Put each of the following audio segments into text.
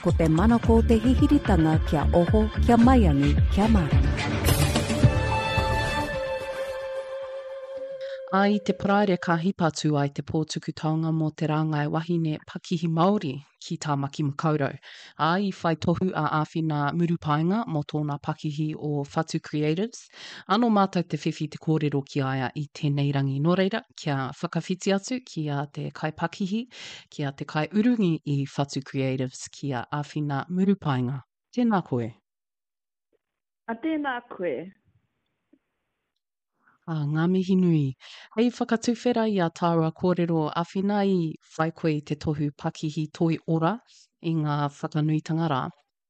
Ko te manako o te hihiritanga kia oho, kia maiangi, kia mārama. Ā, i te Paraire ka hipa tū ai te pō tuku taonga mō te rāngai wahine pakihi Māori ki Tāmaki Makaurau. Ā, i whai tohu a Āwhina Murupaenga mō tōna pakihi o Whatu Creatives. Ā, nō mātou te whiwhi te kōrero ki a ia i tēnei rangi. Nō reira, kia whakawhiti atu ki a te kaipakihi, ki a te kaiurungi i Whatu Creatives, ki a Awhina Murupaenga. Tēnā koe. A tēnā koe. Ā, ngā mihi nui. Hei whakatuwhera i a tāua kōrero Awhina i whai koe i te tohu pakihi toi ora i ngā whakanuitanga rā.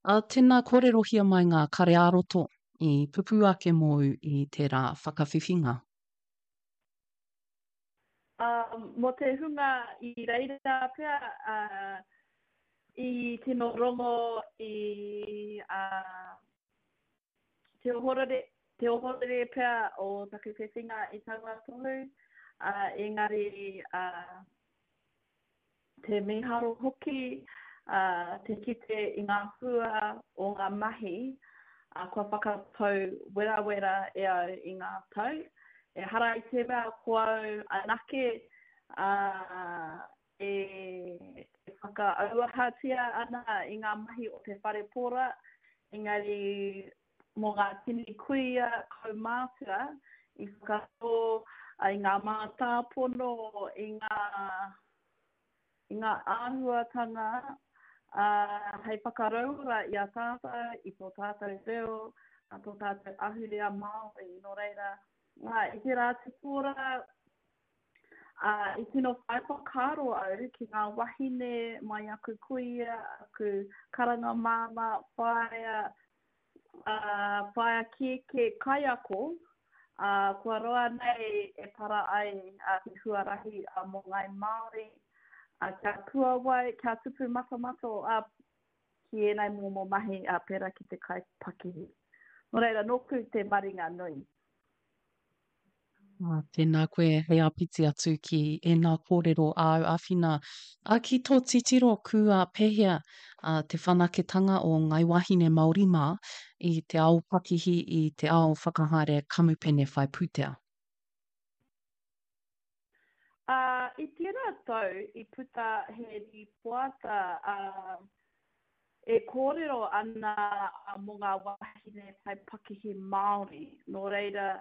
Ā, tēnā kōrerohia mai ngā kare ā-roto i pupū ake mōu i tērā whakawhiwhinga. Ā, mō te hunga i reira pea, ā, i tino rongo i, ā, te ohorere, te ohorere pea o taku whiwhinga i taua tohu, ā, engari, ā, Te mīharo hoki te kite i ngā hua o ngā mahi kua whakatau werawera e au i ngā tau. Ehara i te mea ko au anake e whakaauahatia ana i ngā mahi o te whare pora, engari mō ngā tini kuia kaumātua i whakatō i ngā mātāpono, i ngā, i ngā āhuatanga ā, hei whakarauora i a tātou, i tō tātou reo, ā, tō tātou ahurea Māori. Nō reira, ā, i tērā atu pō rā, ā, i tino whai whakaaro au ki ngā wahine mai aku kuia, aku karanga māmā, whaea, ā, whaea kēkē kaiako, ā, kua roa nei e para ai te huarahi mō Ngāi Māori, ā, kia puawai, kia tupu matomato, ā, ki ēnei momo mahi, ā, pērā ki te kai pakihi. Nō reira, nōku te maringa nui. Ā, tēnā koe hei āpiti atu ki ēnā kōrero āu āwhina. Ā, ki tō titiro kua pēhea ā, te whanaketanga o Ngai Wāhine Māori mā i te ao pakihi, i te ao whakahaere kamupene whai pūtea? Ā, i tērā tau i puta he rīpoata, ā, e kōrero ana mō ngā wāhine whai pakihi Māori. Nō reira,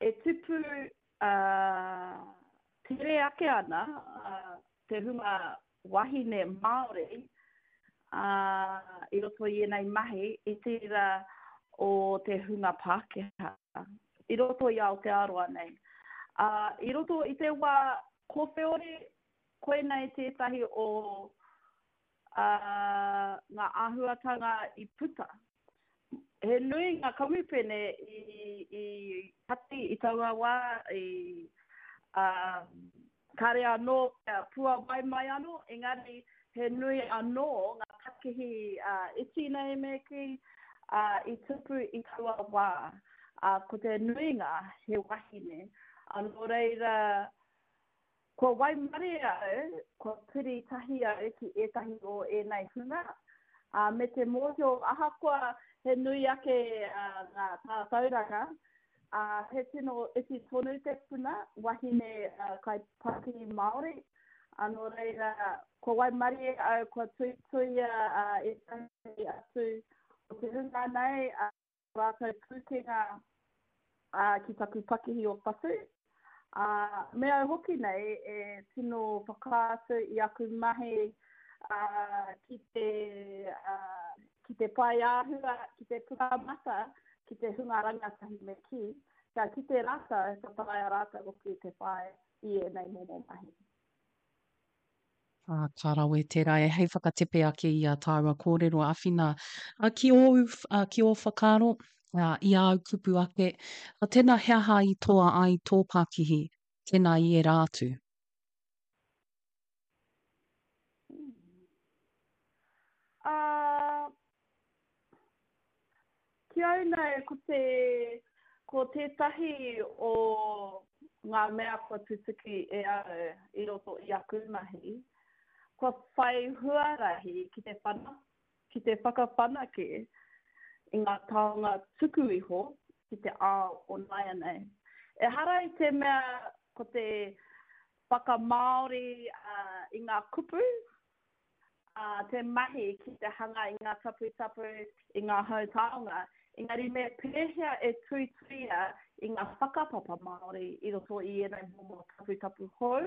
e tupu tere ake ana te hunga wahine Māori i roto i ēnei mahi i tērā o te hunga Pākehā i roto i Aotearoa nei. I roto i te wā kowheori, koinei tētahi o ngā āhuatanga i puta. He nui ngā kamupene i kati i taua wā, i, ā, kāre anō kia puawai mai anō, engari he nui anō ngā pakihi iti nei me kī, ā, i tupu i taua wā. Ā, ko te nuinga he wahine. Ā, nō reira, Kua waimarie au, kua piri tahi au ki ētahi o ēnei hunga, ā, me te mōhio ahakoa he nui ake ngā tātauranga, ā, he tino iti tonu te puna wahine kaipakihi Māori, ā, nō reira, kua waimarie au, kua tuituia ētahi atu o te hunga nei, ā, rātou pūkenga ki taku pakihi o Whatu. Ā, me au hoki nei e tino whakaatu i aku mahi ki te, ki te pae āhua, ki te pukamata, ki te hunga rangatahi me kī, kia kite rātou, ka taea rātou hoki te whai i ēnei momo mahi. Ā, ka rawe tērā e hei whakatepe ake i ā tāua kōrero āwhina, ā, ki ōu, ā, ki ō whakaaro, ā, i āu kupu ake, ā, tēnā he aha i toa ai tō pākihi, tēnā i ērā atu? Ā, Ki au nei, ko te, ko tētahi o ngā mea kua tutuki e au i roto i aku mahi, kua whai huarahi ki te whana. ki te whakawhanake i ngā taonga tuku iho ki te ao o nāianei. Ehara i te mea ko te whakamāori i ngā kupu, te mahi ki te hanga i ngā taputapu, i ngā hautaonga, engari me pēhea e tuituia i ngā whakapapa Māori i roto i ēnei momo taputapu hou,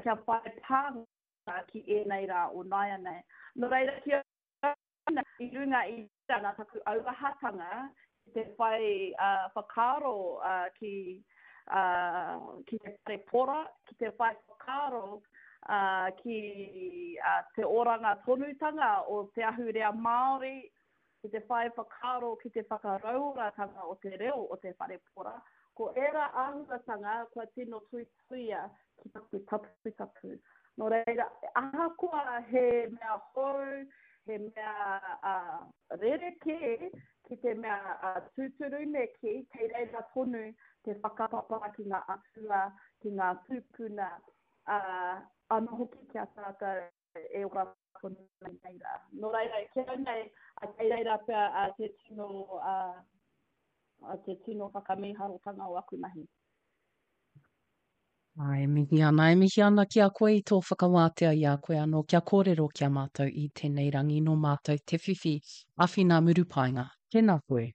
kia whai pānga ki ēnei rā o nāianei. Nō reira, ki au i runga i nā taku auahatanga ki te whai whakaaro ki ki te whare pora, ki te whai whakaaro ki te oranga tonutanga o te ahurea Māori, ki te whai whakaaro ki te whakarauoratanga o te reo o te whare pora, ko ērā āhuatanga kua tino tuituia ki taku taputapu. Nō reira, ahakoa he mea hou, he mea rerekē ki te mea tūturu me kī, kei reira tonu te whakapapa ki ngā atua, ki ngā tūpuna, ā, anō hoki ki a tātou e ora tonu nei rā. Nō reira, ki au nei, kei reira pea te tino, te tino whakamīharotanga o aku mahi. Ā, e mihi ana, e mihi ana ki a koe i tō whakawātea i a koe anō kia kōrero ki a mātou i tēnei rangi nō mātou te whiwhi āwhina murupaenga. Tēnā koe.